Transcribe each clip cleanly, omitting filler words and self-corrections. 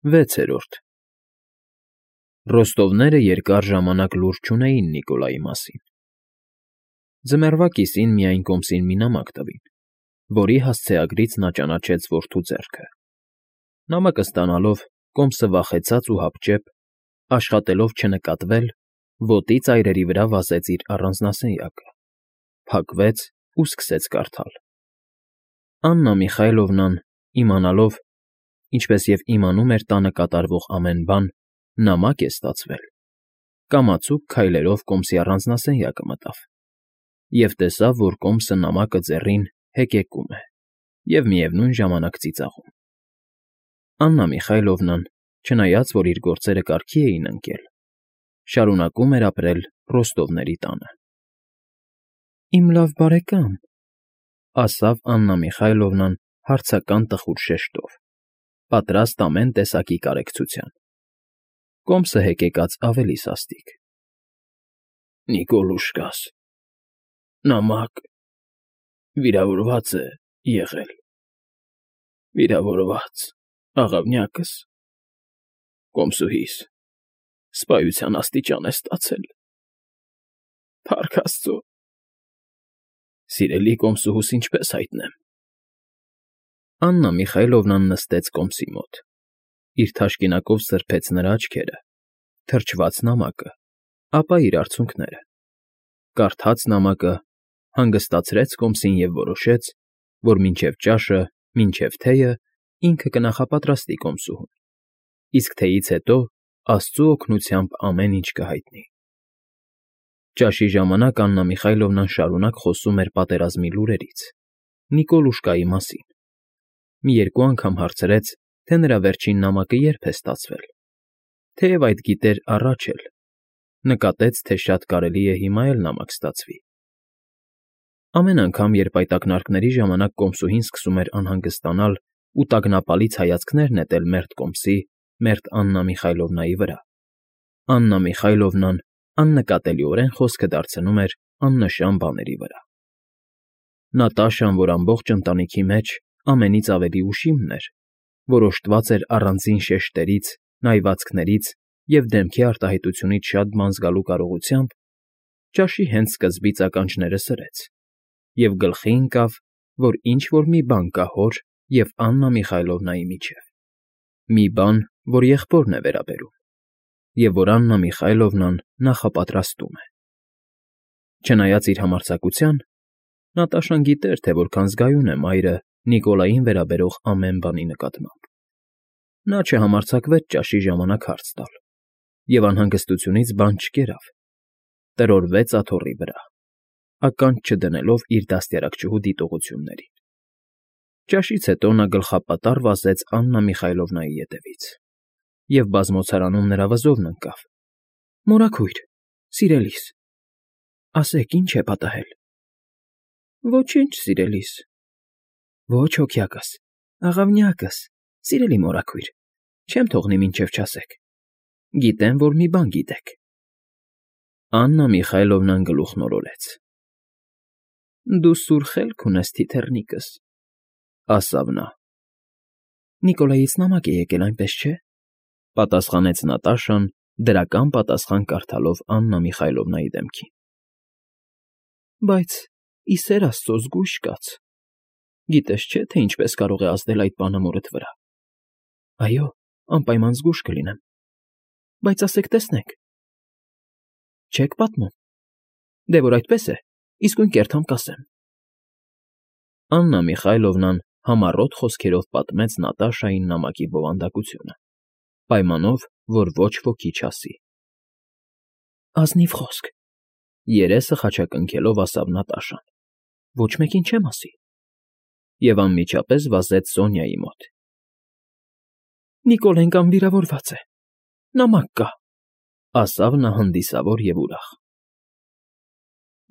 6-րդ Ռոստովները երկար ժամանակ լուր չունեին Նիկոլայի մասին։ Ձմեռվա կիսին միայն կոմսին մի նամակ տվին, որի հասցեագրից նա ճանաչեց որդու ձեռքը։ Նամակը ստանալով, կոմսը վախեցած ու հապճեպ, աշխատելով չնկատվել, ոտի ծայրերի վրա վազեց իր առանձնասենյակը, փակվեց ու սկսեց կարդալ։ Աննա Միխայլովնան, իմանալով, ինչպես և իմանում էր տանը կատարվող ամեն բան, նամակ է ստացվել, կամացուկ քայլերով կոմսի առանձնասենյակը մտավ և տեսավ, որ կոմսը նամակը ձեռին հեկեկում է և միևնույն ժամանակ ծիծաղում։ Աննա Միխայլովնան, չնայած որ իր գործերը կարգի էին ընկել, շարունակում էր ապրել Ռոստովների տանը։ «Իմ լավ բարեկամ», ասավ Աննա Միխայլովնան հարցական տխուր շեշտով, պատրաստ ամեն տեսակի կարեկցության։ Կոմսը հեկեկած ավելի սաստիկ։ «Նիկոլուշկաս, նամակ, վիրավորված է եղել, վիրավորված, աղավնյակս, կոմսուհիս, սպայության աստիճան է ստացել, փառք Աստծո, սիրելի կոմսուհուս ինչպես հայտնեմ»։ Աննա Միխայլովնան նստեց կոմսի մոտ, իր թաշկինակով սրբեց նրա աչքերը, թրջված նամակը, ապա իր արցունքները, կարդաց նամակը, հանգստացրեց կոմսին և որոշեց, որ մինչև ճաշը, մինչև թեյը ինքը կնախապատրաստի կոմսուհուն, իսկ թեյից հետո Աստծու օգնությամբ ամեն ինչ կհայտնի։ Ճաշի ժամանակ Աննա Միխայլովնան շարունակ խոսում էր պատերազմի լուրերից, Նիկոլուշկայի մասին։ Մի երկու անգամ հարցրեց, թե նրա վերջին նամակը երբ է ստացվել, թեև այդ գիտեր առաջ էլ, նկատեց, թե շատ կարելի է հիմա էլ նամակ ստացվի։ Ամեն անգամ, երբ այդ ակնարկների ժամանակ կոմսուհին սկսում էր անհանգստանալ ու տագնապալից հայացքներ նետել մերթ կոմսի, մերթ Աննա Միխայլովնայի վրա, Աննա Միխայլովնան աննկատելիորեն խոսքը դարձնում էր աննշան բաների վրա։ Նատաշան, որ ամբողջ ընտանիքի մեջ ամենից ավելի ուշիմն էր, որ օժտված էր առանձին շեշտերից, նայվածքներից և դեմքի արտահայտությունից շատ բան զգալու կարողությամբ, ճաշի հենց սկզբից ականջները սրեց և գլխի ընկավ, որ ինչ֊որ մի բան կա հոր և Աննա Միխայլովնայի միջև, մի բան, որ եղբորն է վերաբերում, և որ Աննա Միխայլովնան նախապատրաստում է։ Չնայած իր համարձակության, Նատաշան գիտեր, թե որքան զգայուն է մայրը Նիկոլային վերաբերող ամեն բանի նկատմամբ։ Նա չհամարձակվեց ճաշի ժամանակ հարց տալ և անհանգստությունից բան չկերավ, տրորվեց աթոռի վրա, ականջ չդնելով իր դաստիարակչուհու դիտողություններին։ Ճաշից հետո նա գլխապատառ վազեց Աննա Միխայլովնայի ետևից և բազմոցարանում նրա վզովն ընկավ։ «Մորաքույր, սիրելիս, ասեք, ի՞նչ է պատահել»։ «Ոչինչ, սիրելիս»։ «Ոչ, հոգյակս, աղավնյակս, սիրելի մորաքույր, չեմ թողնի մինչև չասեք։ Գիտեմ, որ մի բան գիտեք»։ Աննա Միխայլովնան գլուխն օրորեց։ «Դու սուր խելք ունես, թիթեռնիկս», ասավ նա։ «Նիկոլայից նամակ է եկել, այնպես չէ՞», պատասխանեց Նատաշան, դրական պատասխան կարդալով Աննա Միխայլովնայի դեմքին։ «Բայց, ի սեր Աստծո, զգույշ կաց, գիտես չէ, թե ինչպես կարող է ազդել այդ բանը մորդ վրա։ Այո, անպայման զգույշ կլինեմ, բայց ասեք, տեսնենք։ Չեք պատմում։ Դե որ այդպես է, իսկույն կերտամ կասեմ»։ Աննա Միխայլովնան համառոտ խոսքերով պատմեց Նատաշային նամակի բովանդակությունը, պայմանով, որ ոչ ոքի չասի։ «Ազնիվ խոսք», երեսը խաչակնքելով ասավ Նատաշան, «ոչ մեկին չեմ ասի»։ Եվ անմիջապես վազեց Սոնյայի մոտ։ «Նիկոլեն կամ վիրավորված է, նամակ կա», ասավ նա հանդիսավոր և ուրախ։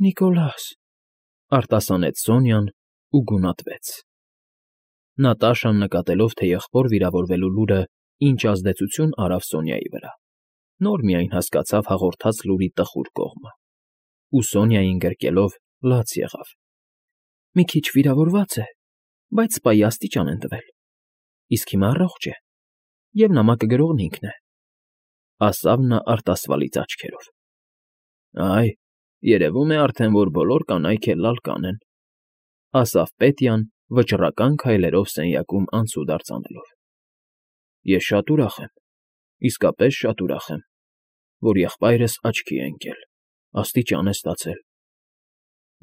«Նիկոլաս», արտասանեց Սոնյան ու գունատվեց։ Նատաշան նկատելով, թե եղբոր վիրավորվելու լուրը ինչ ազդեցություն արավ Սոնյայի վրա, նոր միայն հասկացավ հաղորդած լուրի տխուր կողմը, ու Սոնյային գրկելով լաց եղավ։ «Մի քիչ վիրավորված է, բայց սպայի աստիճան են տվել, իսկ հիմա առողջ է, Եվ նամակը գրողն ինքն է,֊ ասավ նա արտասվալից աչքերով։ Այ, երևում է արդեն, որ բոլոր կանայք էլ լալ կանեն,֊ ասավ Պետյան, վճռական քայլերով սենյակում անցուդարձ անելով։ Ես շատ ուրախ եմ, իսկապես շատ ուրախ եմ, որ եղբայրս աչքի է ընկել, աստիճան է ստացել։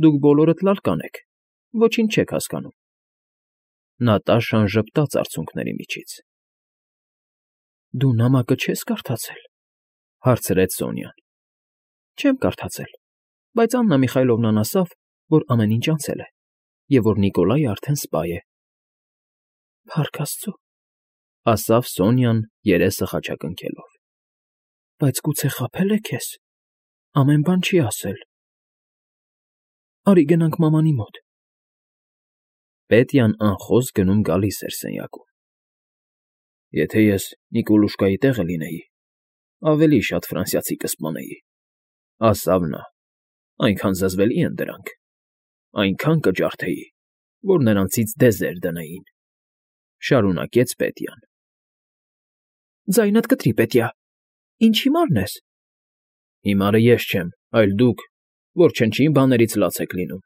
Դուք բոլորդ լալ կանեք, ոչինչ չեք հասկանում։ Նատաշան ժպտաց արցունքների միջից։ Դու նամակը չես կարդացել,֊ հարցրեց Սոնյան։ Չեմ կարդացել, բայց Աննա Միխայլովնան ասավ, որ ամեն ինչ անցել է, և որ Նիկոլայը արդեն սպա է։ Փառք Աստծո,֊ ասավ Սոնյան երեսը խաչակնքելով։ Բայց գուցե խաբել է քեզ, ամեն բան չի ասել։ Արի գնանք մամանի մոտ։ Պետյան անխոզ գնում֊գալիս էր սենյակում։ Եթե ես Նիկոլուշկայի տեղը լինեի, ավելի շատ ֆրանսիացի կսպանեի,֊ ասավ նա,֊ այնքան զզվելի են դրանք, այնքան կջարդեի, որ նրանցից դեզեր դնեին,֊ շարունակեց Պետյան։ Ձայնդ կտրի, Պետյա, ինչ հիմարն ես։ Հիմարը ես չեմ, այլ դուք, որ չնչին բաներից լաց եք լինում,֊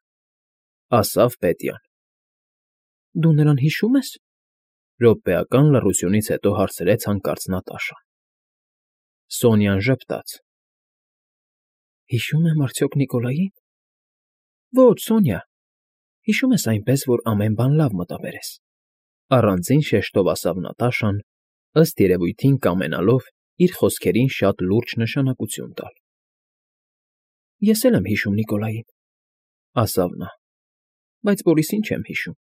ասավ Պետյան։ Դու նրան հիշո՞ւմ ես,֊ րոպեական լռությունից հետո հարցրեց հանկարծ Նատաշան։ Սոնյան ժպտաց։ Հիշո՞ւմ եմ արդյոք Նիկոլային։ Ոչ, Սոնյա, հիշում ես այնպես, որ ամեն բան լավ մտաբերես,֊ առանձին շեշտով ասավ Նատաշան, ըստ երևույթին կամենալով իր խոսքերին շատ լուրջ նշանակություն տալ։ Ես էլ եմ հիշում Նիկոլային,֊ ասավ նա,֊ բայց Բորիսին չեմ հիշում,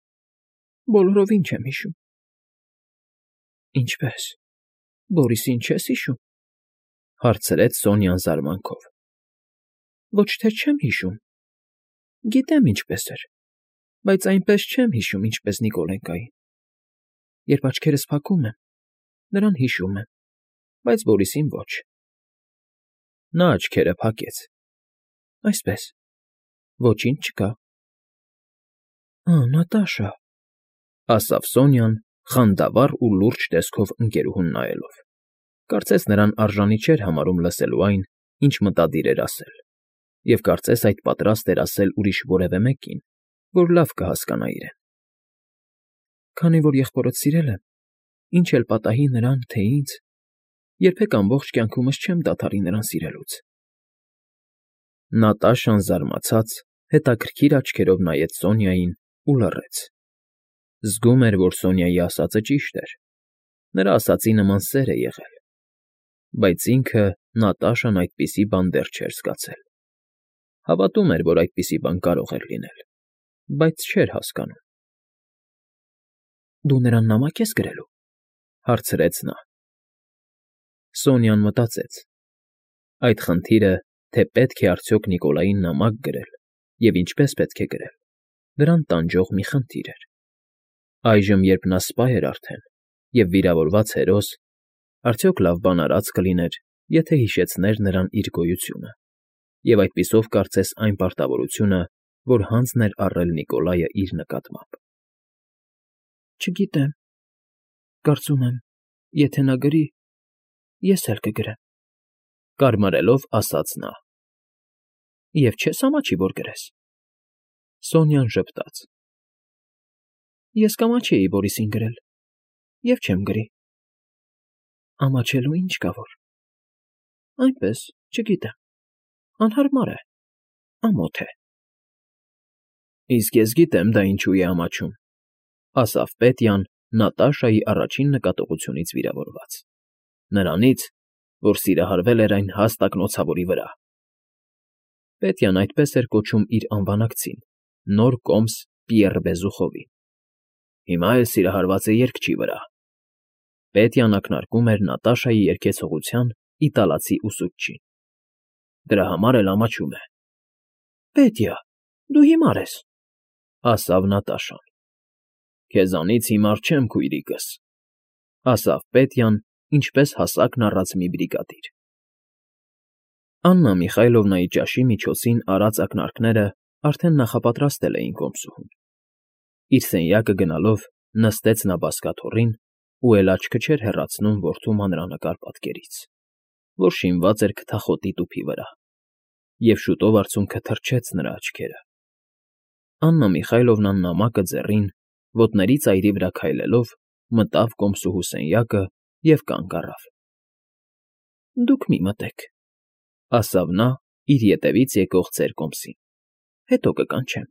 բոլորովին չեմ հիշում։ Ինչպե՞ս, Բորիսին չես հիշում,֊ հարցրեց Սոնյան զարմանքով։ Ոչ թե չեմ հիշում, գիտեմ ինչպես էր, բայց այնպես չեմ հիշում, ինչպես Նիկոլենկային։ Երբ աչքերս փակում եմ, նրան հիշում եմ, բայց Բորիսին ոչ։ Նա աչքերը փակեց։ Այսպես, ոչինչ չկա։ Նատաշա,֊ ասավ Սոնյան, խանդավառ ու լուրջ տեսքով ընկերուհուն նայելով։ Կարծես նրան արժանի չէր համարում լսելու այն, ինչ մտադիր էր ասել, և կարծես այդ պատրաստ էր ասել ուրիշ որևէ մեկին, որ լավ կհասկանա իրեն։ Քանի որ եղբորդ սիրել եմ, ինչ էլ պատահի նրան, թե ինձ, երբեք ամբողջ կյանքումս չեմ դադարի նրան սիրելուց։ Նատաշան զարմացած հետաքրքիր աչքերով նայեց Սոնյային ու լռեց։ Զգում էր, որ Սոնյայի ասածը ճիշտ էր, նրա ասածի նման սեր է եղել, բայց ինքը Նատաշան այդպիսի բան դեռ չէր զգացել։ Հավատում էր, որ այդպիսի բան կարող էր լինել, բայց չէր հասկանում։ Դու նրան նամակ ես գրելու,֊ հարցրեց նա։ Սոնյան մտածեց. այդ խնդիրը, թե պետք է արդյոք Նիկոլային նամակ գրել և ինչպես պետք է գրել, դրան տանջող մի խնդիր էր։ Այժմ, երբ նա սպա էր արդեն և վիրավորված հերոս, արդյոք լավ բան արած կլիներ, եթե հիշեցներ նրան իր գոյությունը, և այդպիսով կարծես այն պարտավորությունը, որ հանձն էր առել Նիկոլայը իր նկատմամբ։ Չգիտեմ, կարծում եմ, եթե նա գրի, ես էլ կգրեմ,֊ կարմարելով ասաց նա։ Եվ չես ամաչի, որ գրես։ Սոնյան ժպտաց։ Ես կամաչեի Բորիսին գրել, և չեմ գրի։ Ամաչելու ինչ կա որ։ Այնպես, չգիտեմ, անհարմար է, ամոթ է։ Իսկ ես գիտեմ դա ինչու է ամաչում,֊ ասավ Պետյան Նատաշայի առաջին նկատողությունից վիրավորված։ Նրանից, որ սիրահարվել էր այն հաստ ակնոցավորի վրա։ Պետյան այդպես էր կոչում իր անվանակցին, նոր կոմս Պիեռ Բեզուխովին։ Հիմա էլ սիրահարված է երգչի վրա։ Պետյան ակնարկում էր Նատաշայի երգեցողության իտալացի ուսուցչին։ Դրա համար էլ ամաչում է։ Պետյա, դու հիմար ես,֊ ասավ Նատաշան։ Քեզանից հիմար չեմ, քույրիկս,֊ ասավ Պետյան, ինչպես հասակն առած մի բրիգադիր։ Աննա Միխայլովնայի ճաշի միջոցին արած ակնարկները արդեն նախապատրաստել էին կոմսուհուն։ Իր սենյակը գնալով նստեց նա բազկաթոռին ու էլ աչքը չէր հեռացնում որդու մանրանկար պատկերից, որ շինված էր քթախոտի տուփի վրա, և շուտով արցունքը թրջեց նրա աչքերը։ Աննա Միխայլովնան նամակը ձեռին, ոտների ծայրի վրա քայլելով, մտավ կոմսուհու սենյակը և կանգ առավ։ ֊ Դուք մի մտեք,֊ ասավ նա իր ետևից եկող ծեր կոմսին,֊ հետո կկանչեմ։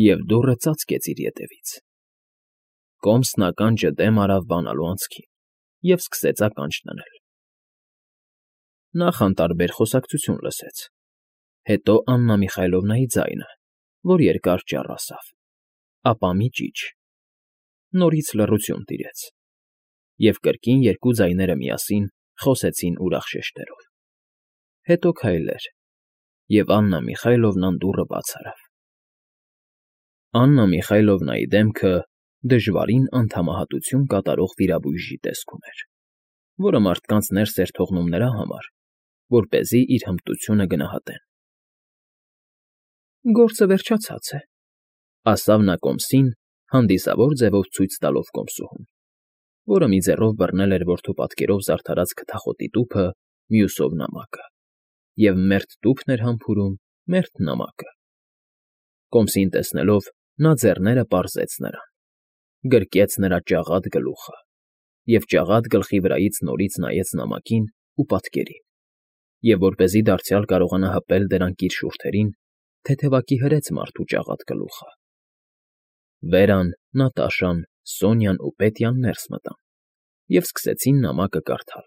Եվ դուռը ծածկեց իր ետևից։ Կոմսն ականջը դեմ արավ բանալու անցքին և սկսեց ականջ դնել։ Նախ անտարբեր խոսակցություն լսեց, հետո Աննա Միխայլովնայի ձայնը, որ երկար ճառ ասավ, ապա մի ճիչ։ Նորից լռություն տիրեց, և կրկին երկու ձայները միասին խոսեցին ուրախ շեշտերով։ Հետո քայլեր, և Աննա Միխայլովնան դուռը բաց արավ։ Աննա Միխայլովնայի դեմքը դժվարին անդամահատություն կատարող վիրաբույժի տեսք ուներ, որը մարդկանց ներս էր թողնում նրա համար, որպեսզի իր հմտությունը գնահատեն։ Գործը վերջացած է,֊ ասավ նա կոմսին, հանդիսավոր ձևով ցույց տալով կոմսուհուն, որը մի ձեռով բռնել էր որդու պատկերով զարդարած քթախոտի տուփը, մյուսով նամակը, և մերթ տուփն էր համբուրում, մերթ նամակը։ Կոմսին տեսնելով, նա ձեռները պարզեց նրան, գրկեց նրա ճաղատ գլուխը և ճաղատ գլխի վրայից նորից նայեց նամակին ու պատկերին, և որպեսզի դարձյալ կարողանա հպել դրանք իր շուրթերին, թեթևակի հրեց մարդու ճաղատ գլուխը։ Վերան, Նատաշան, Սոնյան ու Պետյան ներս մտան և սկսեցին նամակը կարդալ։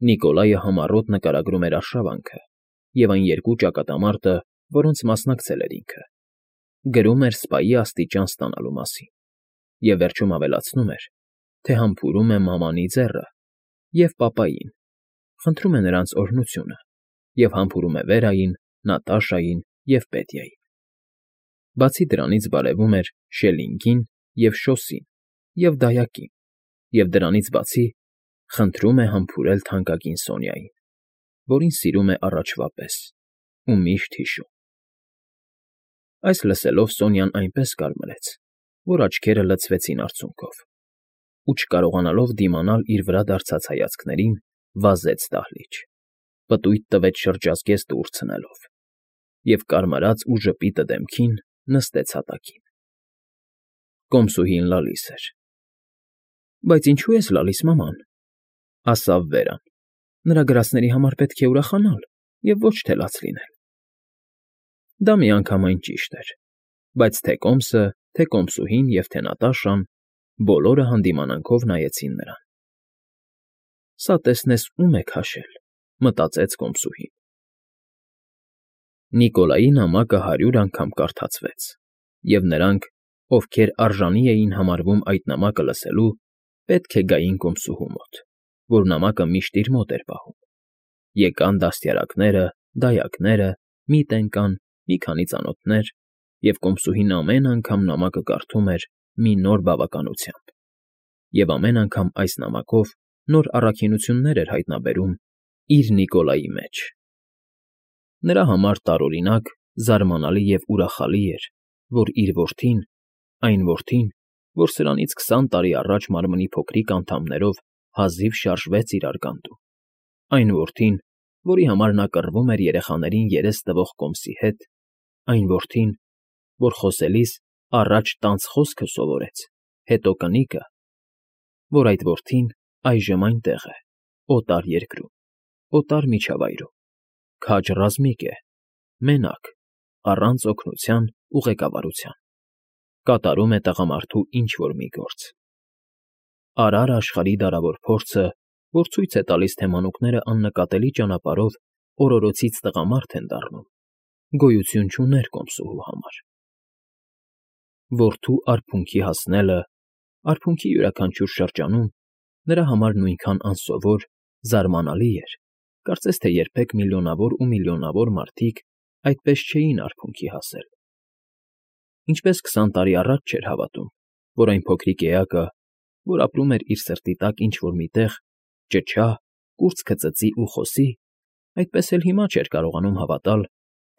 Նիկոլայը համառոտ նկարագրում էր արշավանքը և այն երկու ճակատամարտը, որոնց մասնակցել էր ինքը, գրում էր սպայի աստիճան ստանալու մասին և վերջում ավելացնում էր, թե համբուրում է մամանի ձեռը և պապային, խնդրում է նրանց օրհնությունը և համբուրում է Վերային, Նատաշային և Պետյային։ Բացի դրանից բարևում էր Շելլինգին և Շոսին և Դայակին և դրանից բացի խնդրում է համբուրել թանկագին Սոնյային, որին սիրում է առաջվա պես ու միշտ հիշում։ Այս լսելով Սոնյան այնպես կարմրեց, որ աչքերը լցվեցին արցունքով, ու չկարողանալով դիմանալ իր վրա դարծած հայացքներին, վազեց դահլիճ, պտույտ տվեց շրջազգեստ դուռ ցնելով և կարմրած ու ժպիտը դեմքին նստեց հատակին։ Կոմսուհին լալիս էր։ ֊ Բայց ինչո՞ւ ես լալիս, մաման,֊ ասավ Վերան,֊ նրա գրածների համար պետք է ուրախանալ և ոչ թե լաց լինել։ Դա միանգամայն ճիշտ էր, բայց թե Կոմսը, թե կոմսուհին և թե Նատաշան բոլորը հանդիմանանքով նայեցին նրան։ «Սա տեսնես ում է քաշել,֊ մտածեց կոմսուհին»։ Նիկոլայի նամակը 100 անգամ կարդացվեց, և նրանք, ովքեր արժանի էին համարվում այդ նամակը լսելու, պետք է գային կոմսուհու մոտ, որ նամակը միշտ իր մոտ էր պահում։ Եկան դաստիարակները, դայակները, միտք ընկան, մի քանի ծանոթներ, և կոմսուհին ամեն անգամ նամակը կարդում էր մի նոր բավականությամբ, և ամեն անգամ այս նամակով նոր առաքինություններ էր հայտնաբերում իր Նիկոլայի մեջ։ Նրա համար տարօրինակ, զարմանալի և ուրախալի էր, որ իր որդին, այն որդին, որ սրանից 20 տարի առաջ մարմնի փոքրիկ անդամներով հազիվ շարժվեց իր արգանդում, այն որդին, որի համար նա կռվում էր երեխաներին երես տվող կոմսի հետ, այն որդին, որ խոսելիս առաջ տանձ խոսքը սովորեց, հետո կնիկը, որ այդ որդին այժմ այնտեղ է, օտար երկրում, օտար միջավայրում, քաջ ռազմիկ է, մենակ, առանց օգնության ու ղեկավարության, կատարում է տղամարդու ինչ֊որ մի գործ։ Արար աշխարհի դարավոր փորձը, որ ցույց է տալիս, թե մանուկները աննկատելի ճանապարհով օրորոցից տղամարդ են դառնում, գոյություն չուներ կոմսուհու համար։ Որդու արբունքի հասնելը, արբունքի յուրաքանչյուր շրջանում նրա համար նույնքան անսովոր, զարմանալի էր, կարծես թե երբեք միլիոնավոր ու միլիոնավոր մարդիկ այդպես չէին արբունքի հասել։ Ինչպես 20 տարի առաջ չէր հավատում, որ այն փոքրիկ էակը, որ ապրում էր իր սրտի տակ ինչ֊որ մի տեղ, ճչա, կուրծքը ծծի ու խոսի, այդպես էլ հիմա չէր կարողանում հավատալ,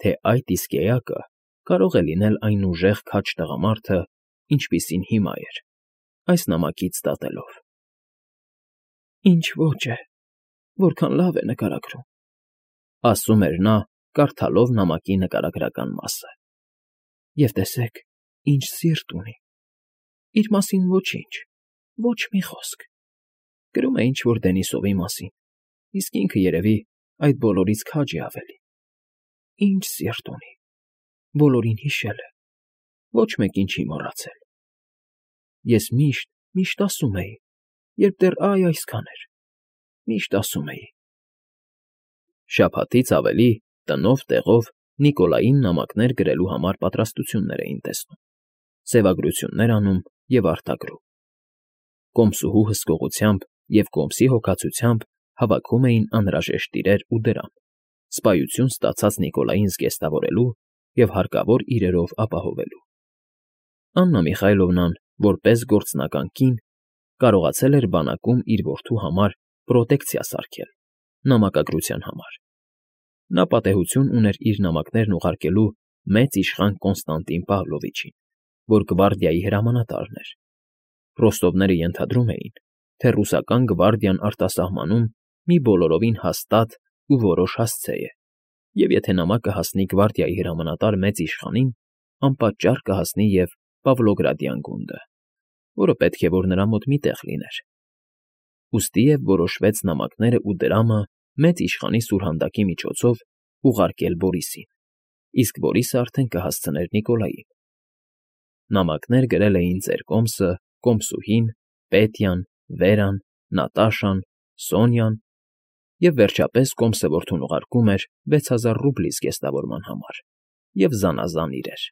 թե այդ իսկ էակը կարող է լինել այն ուժեղ քաջ տղամարդը, ինչպիսին հիմա էր, այս նամակից դատելով։ Ինչ ոճ է, որքան լավ է նկարագրում, ասում էր նա, կարդալով նամակի նկարագրական մասը։ Եվ տեսեք, ինչ սիրտ ունի։ Իր մասին ոչինչ, ոչ մի խոսք։ Գրում է ինչ֊որ Դենիսովի մասին, իսկ ինքը երևի այդ բոլորից քաջ է ավելի։ Ինչ սիրտ ունի, բոլորին հիշել է, ոչ մեկին չի մոռացել։ Ես միշտ ասում էի, երբ դեռ այսքան էր, միշտ ասում էի։ Շաբաթից ավելի տնով տեղով Նիկոլային նամակներ գրելու համար պատրաստություններ էին տեսնում, սևագրություններ անում և արտագրում։ Կոմսուհու հսկողությամբ և կոմսի հոգացությամբ հավաքում էին անհրաժեշտ իրեր ու դրամ, սպայություն ստացած Նիկոլային զգեստավորելու և հարկավոր իրերով ապահովելու։ Աննա Միխայլովնան, որպես գործնական կին, կարողացել էր բանակում իր որդու համար պրոտեկցիա սարքել, նամակագրության համար։ Նա պատեհություն ուներ իր նամակներն ուղարկելու մեծ իշխան Կոնստանտին Պավլովիչին, որ գվարդիայի հրամանատարն էր։ Ռոստովները ենթադրում էին, թե ռուսական գվարդիան արտասահմանում մի բոլորովին հաստատ ու որոշ հասցե է, և եթե նամակը հասնի գվարդիայի հրամանատար մեծ իշխանին, անպատճառ կհասնի և Պավլոգրադյան գունդը, որը պետք է որ նրա մոտ մի տեղ լիներ։ Ուստի և որոշվեց նամակները ու դրամը մեծ իշխանի սուրհանդակի միջոցով ուղարկել Բորիսին, իսկ Բորիսը արդեն կհասցներ Նիկոլային։ Նամակներ գրել էին ծեր կոմսը, կոմսուհին, Պետյան, Վերան, Նատաշան, Սոնյան, և վերջապես կոմսը որդուն ուղարկում էր 6000 ռուբլի զգեստավորման համար և զանազան իրեր։